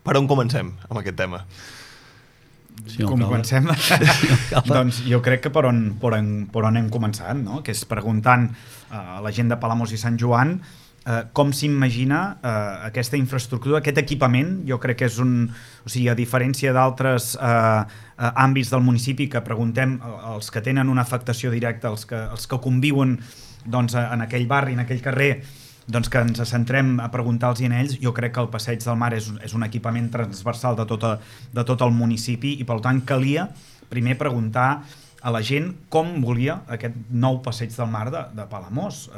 Per on comencem amb aquest tema? Com comencem? Doncs jo crec que per on hem començat, no? Que és preguntant a la gent de Palamós i Sant Joan com s'imagina aquesta infraestructura, aquest equipament. Jo crec que és o sigui, a diferència d'altres àmbits del municipi que preguntem als que tenen una afectació directa, els que conviuen doncs, en aquell barri, en aquell carrer, doncs que ens centrem a preguntar-los a ells. Jo crec que el Passeig del Mar és un equipament transversal de tot el municipi i per tant calia primer preguntar a la gent com volia aquest nou Passeig del Mar de Palamós.